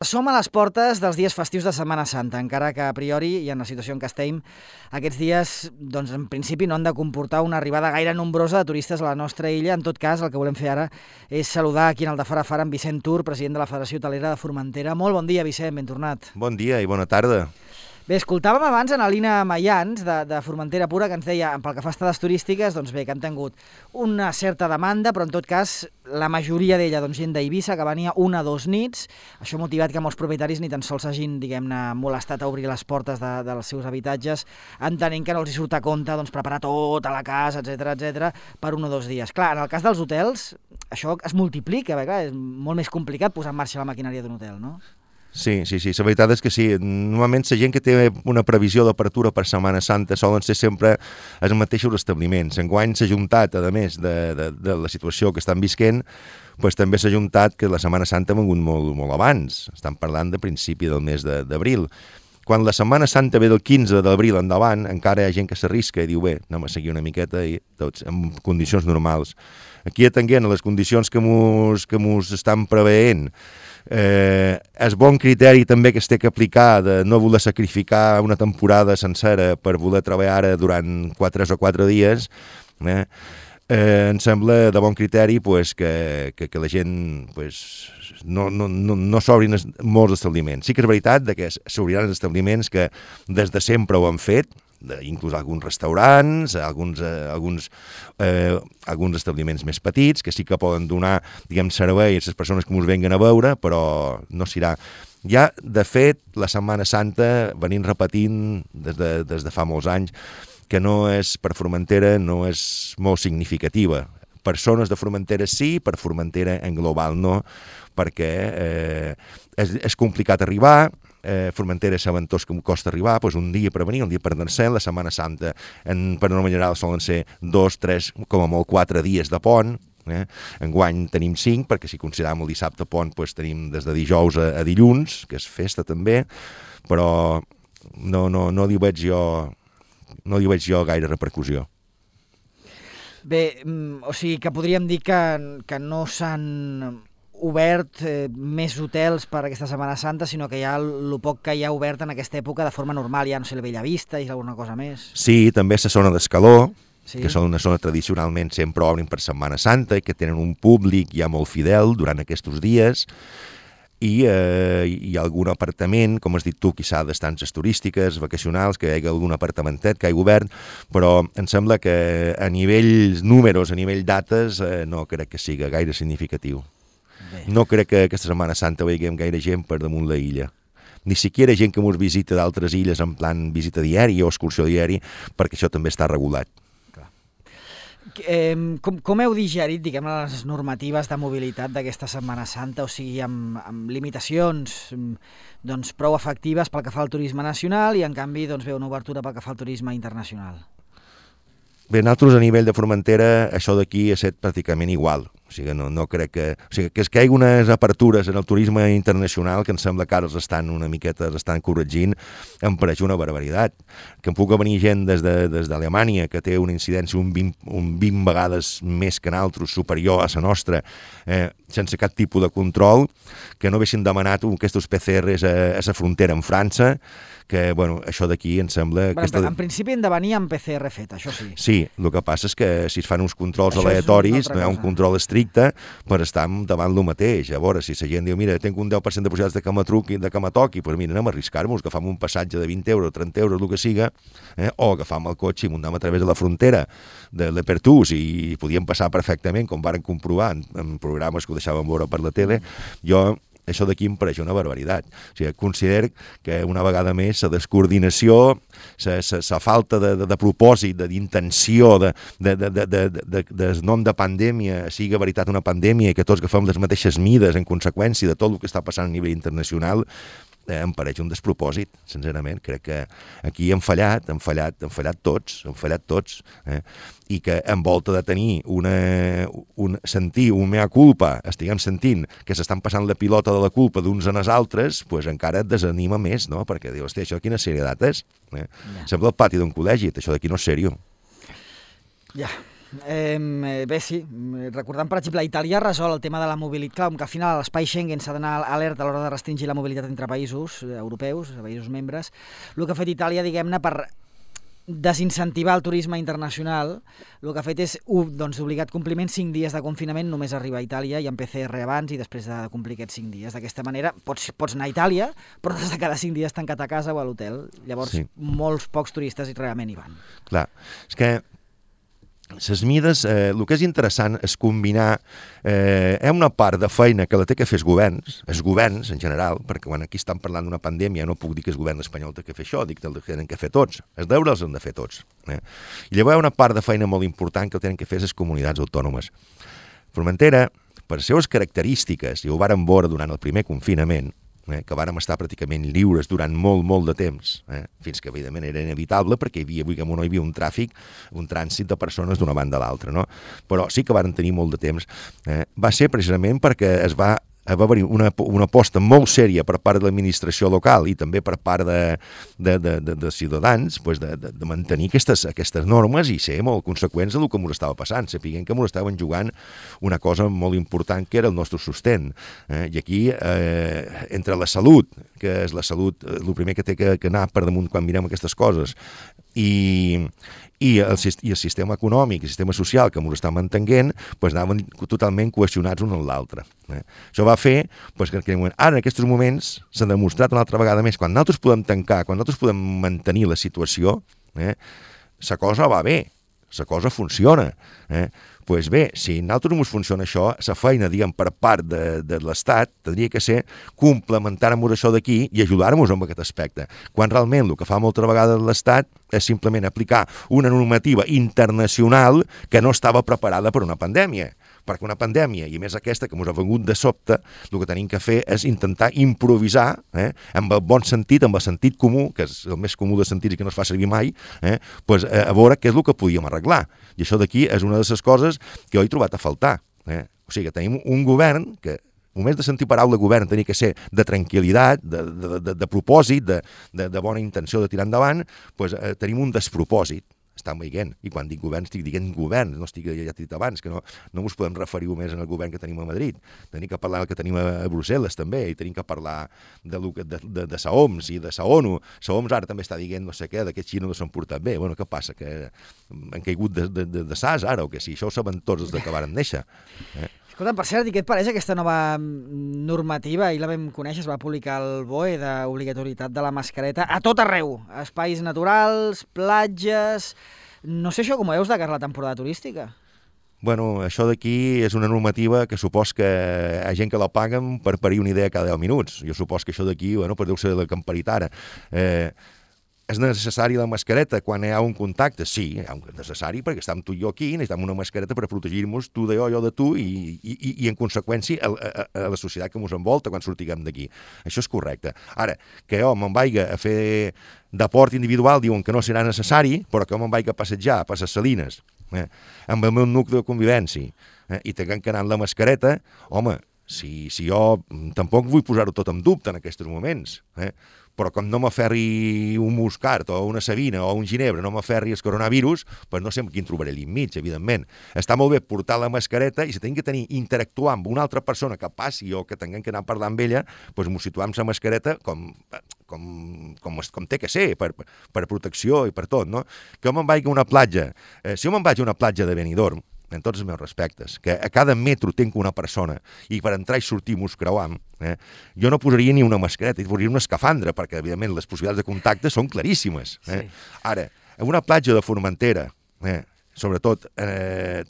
Som a les portes dels dies festius de Setmana Santa, encara que a priori, i en la situació en què estem, aquests dies, doncs, en principi no han de comportar una arribada gaire nombrosa de turistes a la nostra illa. En tot cas, el que volem fer ara és saludar aquí en el de Fara Fara en Vicent Tur, president de la Federació Hotelera de Formentera. Molt bon dia, Vicent, ben tornat. Bon dia i bona tarda. Bé, escoltàvem abans en Alina Mayans, de Formentera Pura, que ens deia, pel que fa a estades turístiques, doncs bé, que han tingut una certa demanda, però en tot cas, la majoria d'ella, doncs, gent d'Eivissa, que venia 1 o 2 nits, això ha motivat que molts propietaris ni tan sols hagin, diguem-ne, molestat a obrir les portes dels seus habitatges, entenent que no els hi surt a compte, doncs, preparar tota la casa, etc per 1 o 2 dies. Clar, en el cas dels hotels, això es multiplica, perquè clar, és molt més complicat posar en marxa la maquinària d'un hotel, no? Sí, la veritat és que sí. Normalment la gent que té una previsió d'apertura per Setmana Santa solen ser sempre els mateixos establiments. Enguany s'ha juntat, a més de la situació que estan visquent, doncs també s'ha juntat que la Setmana Santa ha vengut molt abans. Estan parlant de principi del mes d'abril. Quan la Setmana Santa ve del 15 d'abril endavant, encara hi ha gent que s'arrisca i diu, bé, anem a seguir una miqueta i tots en condicions normals. Aquí atenguent a les condicions que mos estan preveient, és bon criteri també que es té que aplicar de no voler sacrificar una temporada sencera per voler treballar ara durant 3 o 4 dies, em sembla de bon criteri pues, que la gent pues, no s'obrin molts establiments. Sí que és veritat que s'obriran els establiments que des de sempre ho han fet, inclús alguns restaurants, alguns establiments més petits, que sí que poden donar, servei a les persones que ens venguen a veure, però no s'irà. Ja, de fet, la Setmana Santa venim repetint des de fa molts anys que no és per Formentera, no és molt significativa. Per zones de Formentera sí, per Formentera en global no, perquè és complicat arribar. Formentera saben tots que costa arribar, doncs un dia per venir, un dia per anar-se'n. La Setmana Santa, per norma general, solen ser 2, 3, com a molt 4 dies de pont. Enguany tenim 5, perquè si considerem el dissabte pont, doncs tenim des de dijous a dilluns, que és festa també, però no li veig jo gaire repercussió. Bé, o sigui que podríem dir que no s'han obert més hotels per aquesta Setmana Santa, sinó que ja el poc que hi ha obert en aquesta època de forma normal, ja no sé, la Bellavista i alguna cosa més. Sí, també la zona d'Escaló, sí, que són una zona tradicionalment sempre obrin per Setmana Santa i que tenen un públic ja molt fidel durant aquests dies, i hi ha algun apartament, com has dit tu, quizà d'estances turístiques, vacacionals, que hi hagi algun apartamentet que hagi obert, però em sembla que a nivell números, a nivell dates, no crec que sigui gaire significatiu. Bé. No crec que aquesta Setmana Santa veiem gaire gent per damunt la illa. Ni siquiera gent que ens visita d'altres illes en plan visita diari o excursió diari, perquè això també està regulat. Com heu digerit, les normatives de mobilitat d'aquesta Setmana Santa, o sigui, amb limitacions doncs, prou efectives pel que fa al turisme nacional i, en canvi, doncs, una obertura pel que fa al turisme internacional? Bé, nosaltres a nivell de Formentera això d'aquí ha estat pràcticament igual. O sigui, no crec que... O sigui, que hi hagi unes apertures en el turisme internacional que em sembla que ara estan corregint, em pareix una barbaritat. Que em pugui venir gent des d'Alemanya que té una incidència un 20 vegades més que nosaltres, superior a la nostra, sense cap tipus de control, que no haguessin demanat aquests PCRs a la frontera amb França, que, bueno, això d'aquí em sembla... En principi hem de venir amb PCR fet, això sí. Sí, el que passa és que si es fan uns controls aleatoris, no hi ha un control estricte per estar davant el mateix. A veure, si la gent diu, mira, tinc un 10% de possibilitats de que me toqui, doncs mira, anem a arriscar-nos, agafam un passatge de 20 euros, 30 euros, el que siga, o agafam el cotxe i muntem a través de la frontera de l'Apertús i podíem passar perfectament, com varen comprovar en programes que ho deixàvem veure per la tele. Això d'aquí em pareix una barbaritat. O sigui, considero que una vegada més la descoordinació, la falta de propòsit, d'intenció, del nom de pandèmia sigui veritat una pandèmia i que tots agafem les mateixes mides en conseqüència de tot el que està passant a nivell internacional, em pareix un despropòsit, sincerament. Crec que aquí hem fallat tots, i que en volta de tenir sentir un mea culpa, estiguem sentint que s'estan passant la pilota de la culpa d'uns en els altres, doncs encara et desanima més, no? Perquè dius, hòstia, això quina serietat és? Sembla el pati d'un col·legi, això d'aquí no és seriós. Ja. Bé, sí. Recordant, per exemple, Itàlia ha resolt el tema de la mobilitat. Clar, que al final a l'espai Schengen s'ha d'anar alerta a l'hora de restringir la mobilitat entre països europeus, països membres. El que ha fet Itàlia, diguem-ne, per desincentivar el turisme internacional, el que ha fet és d'obligat compliment 5 dies de confinament només arribar a Itàlia i amb PCR abans i després de complir aquests 5 dies. D'aquesta manera pots anar a Itàlia, però has de cada 5 dies tancat a casa o a l'hotel. Llavors, molts pocs turistes realment hi van. Clar, és que les mides, el que és interessant és combinar una part de feina que la té que fer els governs en general, perquè quan aquí estan parlant d'una pandèmia no puc dir que el govern espanyol té que fer això, dic que el tenen que fer tots, els deures els han de fer tots. I llavors hi ha una part de feina molt important que el tenen que fer les comunitats autònomes. Formentera, per les seves característiques, i ho vàrem veure durant el primer confinament, que vàrem estar pràcticament lliures durant molt de temps, fins que evidentment era inevitable perquè hi havia un tràfic, un trànsit de persones d'una banda a l'altra, no? Però sí que varen tenir molt de temps. Va ser precisament perquè va haver-hi una aposta molt sèria per part de l'administració local i també per part de ciutadans de mantenir aquestes normes i ser molt conseqüents del que ens estava passant, sapiguent que ens estaven jugant una cosa molt important que era el nostre sostén. I aquí, entre la salut, que és la salut, el primer que té que anar per damunt quan mirem aquestes coses, i el sistema econòmic, el sistema social que ens està mantenint, anaven totalment cohesionats un amb l'altre. Això va fer que ara en aquests moments s'ha demostrat una altra vegada més, quan nosaltres podem tancar, quan nosaltres podem mantenir la situació, la cosa va bé, la cosa funciona. Doncs bé, si a nosaltres no ens funciona això, la feina, diguem, per part de l'Estat tindria que ser complementar-nos això d'aquí i ajudar-nos en aquest aspecte. Quan realment el que fa molta vegada l'Estat és simplement aplicar una normativa internacional que no estava preparada per una pandèmia. Perquè una pandèmia, i més aquesta que ens ha vengut de sobte, el que tenim que fer és intentar improvisar, amb el bon sentit, amb el sentit comú, que és el més comú de sentits i que no es fa servir mai, a veure què és el que podíem arreglar. I això d'aquí és una de les coses que jo he trobat a faltar. O sigui, que tenim un govern que, només de sentir paraula govern, tenia que ser de tranquil·litat, de propòsit, de bona intenció de tirar endavant, tenim un despropòsit. Estan veient, i quan dic govern estic dient govern, no estic, ja t'he dit abans, que no ens podem referir més al govern que tenim a Madrid, tenim que parlar del que tenim a Brussel·les també, i tenim que parlar de sa OMS i de sa ONU. Sa OMS ara també està dient no sé què, que Xina no s'han portat bé. Bueno, què passa? Que han caigut de sas ara, o que sí? Això ho saben tots els que varen néixer. Escolta, per cert, i què et pareix aquesta nova normativa? Ahir la vam conèixer, es va publicar el BOE d'obligatorietat de la mascareta a tot arreu, espais naturals, platges... No sé això com ho veus de cara a la temporada turística. Bueno, això d'aquí és una normativa que supos que hi ha gent que la paguen per parir una idea cada 10 minuts. Jo supos que això d'aquí, deu ser la que han parit ara. És necessari la mascareta quan hi ha un contacte? Sí, és necessari perquè estem tu i jo aquí, necessitem una mascareta per protegir-nos, tu de jo de tu, i en conseqüència a la societat que ens envolta quan sortiguem d'aquí. Això és correcte. Ara, que jo me'n vaig a fer deport individual, diuen que no serà necessari, però que jo me'n vaig a passejar per les Salines, amb el meu nucli de convivència, i tinguem que anar amb la mascareta, home, si jo tampoc vull posar-ho tot en dubte en aquests moments, però com no m'aferri un muscart o una sabina o un ginebre, no m'aferri el coronavirus, doncs no sé quin trobaré allà enmig, evidentment. Està molt bé portar la mascareta i si tenim que interactuar amb una altra persona que passi o que tinguem que anar a parlar amb ella, doncs ens situem la mascareta com té que ser, per protecció i per tot, no? Que jo me'n vaig a una platja. Si jo me'n vaig a una platja de Benidorm, en tots els meus respectes, que a cada metro tinc una persona i per entrar i sortir mos creuam, jo no posaria ni una mascareta, posaria una escafandra, perquè, evidentment, les possibilitats de contacte són claríssimes. Sí. Ara, en una platja de Formentera, sobretot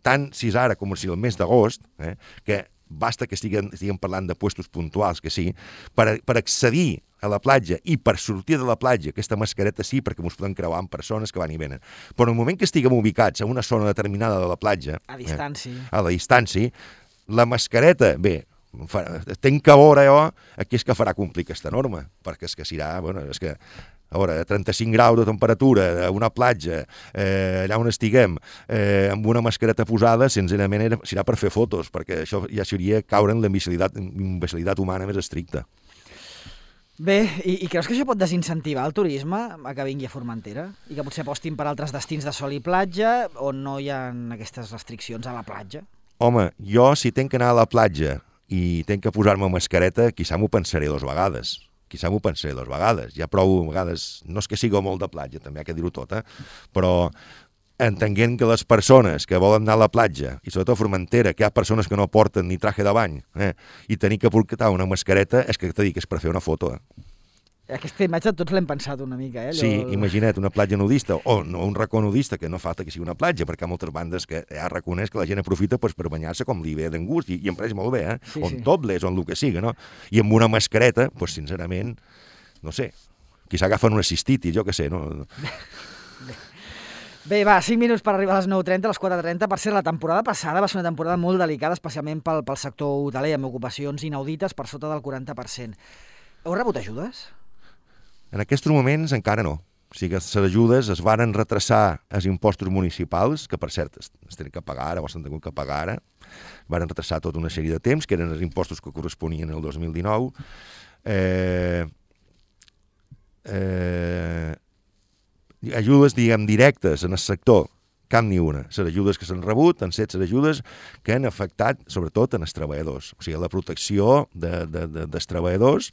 tant si és ara com si el mes d'agost, que basta que estiguem parlant de puestos puntuals, que sí, per accedir a la platja i per sortir de la platja, aquesta mascareta sí, perquè ens podem creuar amb persones que van i venen. Però en el moment que estiguem ubicats a una zona determinada de la platja, a la distància, la mascareta, bé, tenc que veure jo aquí és que farà complir aquesta norma, perquè és que serà, és que a veure, 35 graus de temperatura a una platja, allà on estiguem, amb una mascareta posada, sincerament serà per fer fotos, perquè això ja seria caure en la imbecilitat humana més estricta. Bé, i creus que això pot desincentivar el turisme a que vingui a Formentera? I que potser apostin per altres destins de sol i platja on no hi ha aquestes restriccions a la platja? Home, jo si tenc que anar a la platja i tenc que posar-me mascareta, quizà m'ho pensaré 2 vegades. Ja prou, a vegades, no és que sigui molt de platja, també ha que dir-ho tot, però entenguent que les persones que volen anar a la platja, i sobretot a Formentera, que hi ha persones que no porten ni traje de bany, i tenir que portar una mascareta, és que t'he dit que és per fer una foto. Aquesta imatge tots l'hem pensat una mica, Allò... Sí, imagina't, una platja nudista, o no, un racó nudista, que no falta que sigui una platja, perquè hi ha moltes bandes que ja reconeix que la gent aprofita per banyar-se com li ve d'en gust, i em pareix molt bé, Sí, on topless, on el que siga, no? I amb una mascareta, sincerament, no sé, qui s'agafen una cistitis, jo què sé, no? Bé, va, 5 minuts per arribar a les 9:30, a les 4:30. Per ser la temporada passada va ser una temporada molt delicada, especialment pel sector hoteler, amb ocupacions inaudites per sota del 40%. Heu rebut ajudes? En aquests moments encara no. O sigui, les ajudes es varen retrasar els impostos municipals, que per cert es tenen que pagar ara, o s'han tingut que pagar ara, varen retrasar tota una sèrie de temps, que eren els impostos que corresponien al 2019. Ajudes, diguem, directes en el sector, cap ni una. Les ajudes que s'han rebut han estat les ajudes que han afectat, sobretot, en els treballadors. O sigui, la protecció dels treballadors,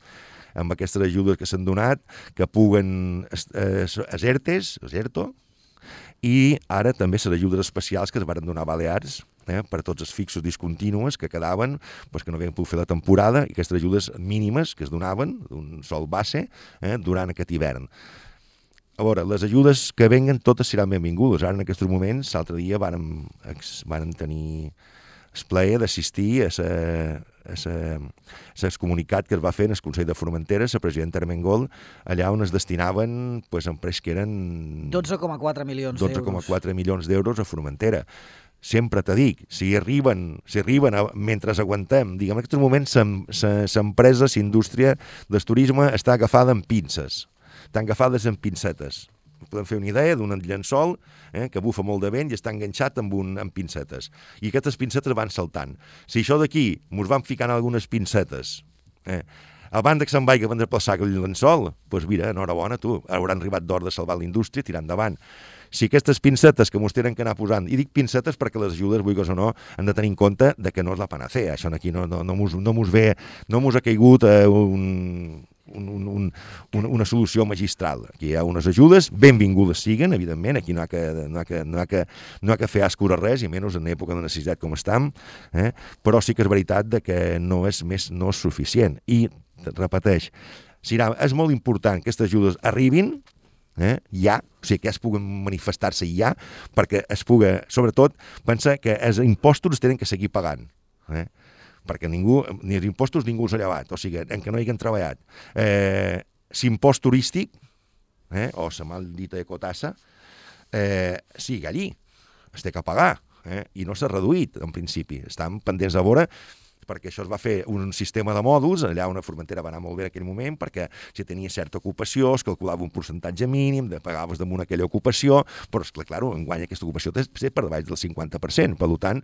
amb aquestes ajudes que s'han donat, que puguen els ERTO, i ara també les ajudes especials que es van donar a Balears, per tots els fixos discontinus que quedaven, que no havien pogut fer la temporada, i aquestes ajudes mínimes que es donaven, d'un sol base, durant aquest hivern. A veure, les ajudes que venguen totes seran benvingudes. Ara, en aquests moments, l'altre dia vàrem tenir el plaer d'assistir a comunicat que es va fer en el Consell de Formentera, la presidenta Armengol, allà on es destinaven, em pareix que eren 12,4 milions d'euros. 12,4 milions d'euros a Formentera. Sempre t'ho dic, si arriben mentre aguantem, diguem, en aquests moments l'empresa, la indústria del turisme està agafada amb pinces. Estan agafades amb pincetes. Podem fer una idea d'un llençol que bufa molt de vent i està enganxat amb pincetes. I aquestes pincetes van saltant. Si això d'aquí mos van ficant algunes pincetes, abans que se'n vagi a desplaçar aquell llençol, doncs mira, enhorabona, tu, hauran arribat d'hora de salvar la indústria i tirar endavant. Si aquestes pincetes que mos tenen que anar posant, i dic pincetes perquè les ajudes, vulguis o no, han de tenir en compte que no és la panacea. Això aquí no mos ha caigut una solució magistral. Aquí hi ha unes ajudes, benvingudes siguen, evidentment, aquí no ha que fer ascura res, i menys en època de necessitat com estem, però sí que és veritat que no és suficient. I, repeteix, és molt important que aquestes ajudes arribin, ja, o sigui, que es puguen manifestar-se ja, perquè es pugui, sobretot, pensar que els impostos es tenen que seguir pagant, perquè ni els impostos ningú els ha llevat, o sigui, en què no hi hagin treballat. L'impost turístic, o la mal dita ecotassa, sigui allí, es té que pagar, i no s'ha reduït, en principi. Estan pendents de veure, perquè això es va fer un sistema de mòduls, allà on a Formentera va anar molt bé en aquell moment, perquè si tenia certa ocupació es calculava un percentatge mínim, pagaves damunt aquella ocupació, però és clar, enguany aquesta ocupació té per davall del 50%, per tant,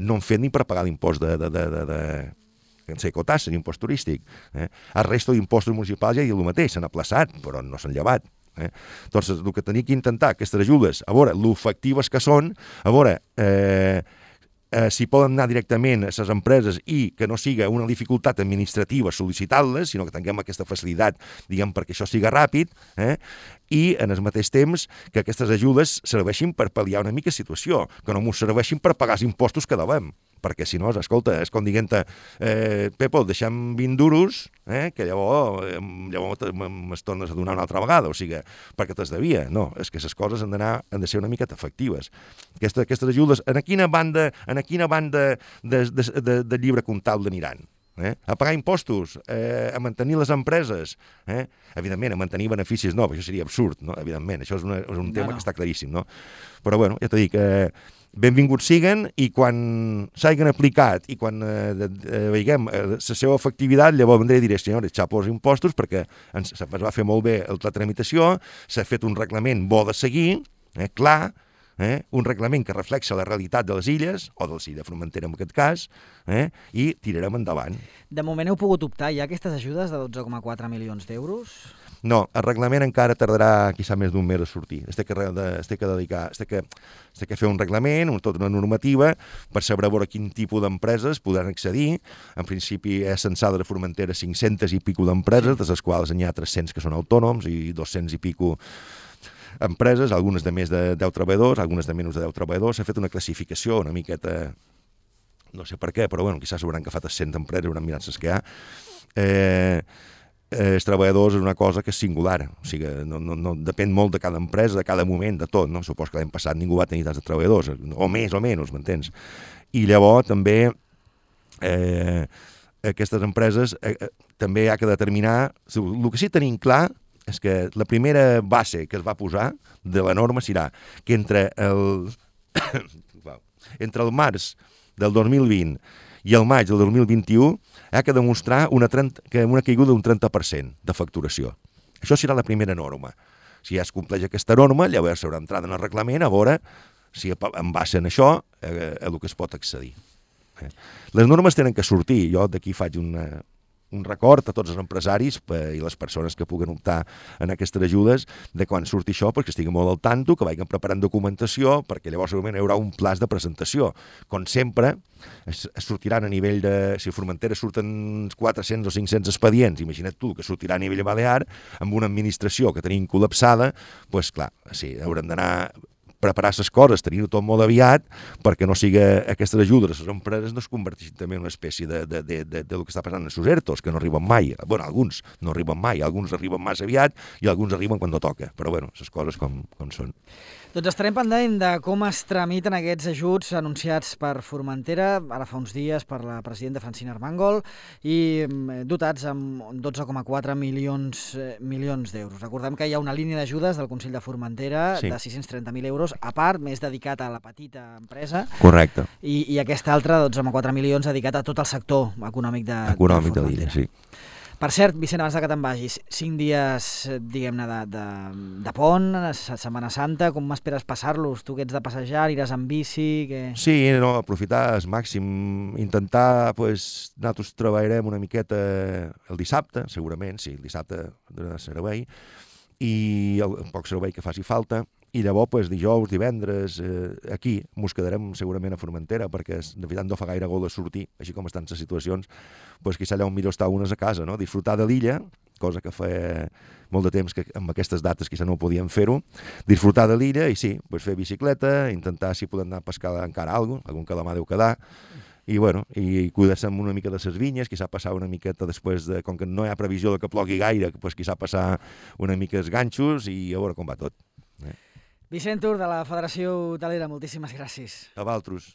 no han fet ni per pagar l'impost ecotassa, l'impost turístic. El resto d'impostos municipals ja hi ha el mateix, s'han aplaçat, però no s'han llevat. Doncs el que tenia que intentar, aquestes ajudes, a veure, l'efectives que són, a veure, si poden anar directament a les empreses i que no siga una dificultat administrativa sol·licitar-les, sinó que tinguem aquesta facilitat, diguem, perquè això siga ràpid, i en el mateix temps que aquestes ajudes serveixin per pal·liar una mica situació, que no ens serveixin per pagar els impostos que devem, perquè si no, escolta, és com dient-te, Pepo, deixem 20 duros, que llavors m'es tornes a donar una altra vegada, o sigui, perquè te'ls devia. No, és que les coses han de ser una miqueta efectives. Aquestes ajudes, en quina banda de llibre comptable aniran? A pagar impostos, a mantenir les empreses, evidentment, a mantenir beneficis no, això seria absurd, no? Evidentment, això és un tema que està claríssim, no? Però bueno, ja t'ho dic, benvinguts siguen, i quan s'hagin aplicat i quan veiem la seva efectivitat, llavors vendré i diré, senyores, xapo els impostos, perquè es va fer molt bé la tramitació, s'ha fet un reglament bo de seguir, clar, un reglament que reflexa la realitat de les illes, o del de Formentera en aquest cas, i tirarem endavant. De moment heu pogut optar ja aquestes ajudes de 12,4 milions d'euros? No, el reglament encara tardarà quizà més d'un mes a sortir. Es té que fer un reglament, tota una normativa, per saber veure quin tipus d'empreses podran accedir. En principi és censada de Formentera 500 i pico d'empreses, de les quals n'hi ha 300 que són autònoms i 200 i pico empreses, algunes de més de 10 treballadors, algunes de menys de 10 treballadors. S'ha fet una classificació una miqueta, no sé per què, però bueno, quizás s'hauran agafat 100 empreses, hauran mirat les que hi ha. Els treballadors és una cosa que és singular, o sigui, no depèn molt de cada empresa, de cada moment, de tot, no? Supos que l'any passat ningú va tenir tants de treballadors, o més o menys, m'entens? I llavors també aquestes empreses també ha que determinar, el que sí tenim clar és que la primera base que es va posar de la norma serà que entre el març del 2020 i el maig del 2021 ha de demostrar una caiguda d'un 30% de facturació. Això serà la primera norma. Si ja es compleix aquesta norma, llavors s'haurà entrat en el reglament a veure si en base en això a el que es pot accedir. Les normes tenen que sortir. Jo d'aquí faig un record a tots els empresaris i les persones que puguen optar en aquestes ajudes de quan surti això, perquè estigui molt al tanto, que vagin preparant documentació, perquè llavors segurament hi haurà un pla de presentació. Com sempre, es sortiran a nivell de... Si a Formentera surten 400 o 500 expedients, imagina't tu que sortirà a nivell balear, amb una administració que tenim col·lapsada, doncs clar, sí, haurem d'anar preparar les coses, tenir-ho tot molt aviat, perquè no sigui aquestes ajudes a les empreses no es converteixin també en una espècie de lo que està passant en els ERTOs, que no arriben mai. Bueno, alguns no arriben mai, alguns arriben massa aviat i alguns arriben quan no toca. Però bueno, les coses com són. Doncs estarem pendent de com es tramiten aquests ajuts anunciats per Formentera, ara fa uns dies per la presidenta Francina Armengol, i dotats amb 12,4 milions d'euros. Recordem que hi ha una línia d'ajudes del Consell de Formentera de 630.000 euros, a part, més dedicat a la petita empresa. Correcte. I aquesta altra, 12,4 milions, dedicat a tot el sector econòmic de l'illa, sí. Per cert, Vicent, abans que te'n vagis, 5 dies, diguem-ne, de pont, Setmana Santa, com m'esperes passar-los? Tu que ets de passejar, aniràs amb bici? Sí, no, aprofitar al màxim, intentar, nosaltres treballarem una miqueta el dissabte, segurament, sí, el dissabte de servei, i el poc servei que faci falta, i llavors dijous, divendres, aquí mos quedarem segurament a Formentera, perquè de veritat no fa gaire gol de sortir, així com estan les situacions, quizà allà on millor estar unes a casa, no? Disfrutar de l'illa, cosa que fa molt de temps que amb aquestes dates quizà no podíem fer-ho, disfrutar de l'illa i sí, fer bicicleta, intentar si podem anar a pescar encara algun calamar deu quedar, i bueno, i cuidar-se una mica de les vinyes, quizà passar una miqueta després de, com que no hi ha previsió de que plogui gaire, quizà passar una mica els ganxos i a veure com va tot. Vicent Tur, de la Federació Hotelera, moltíssimes gràcies. A vosaltres.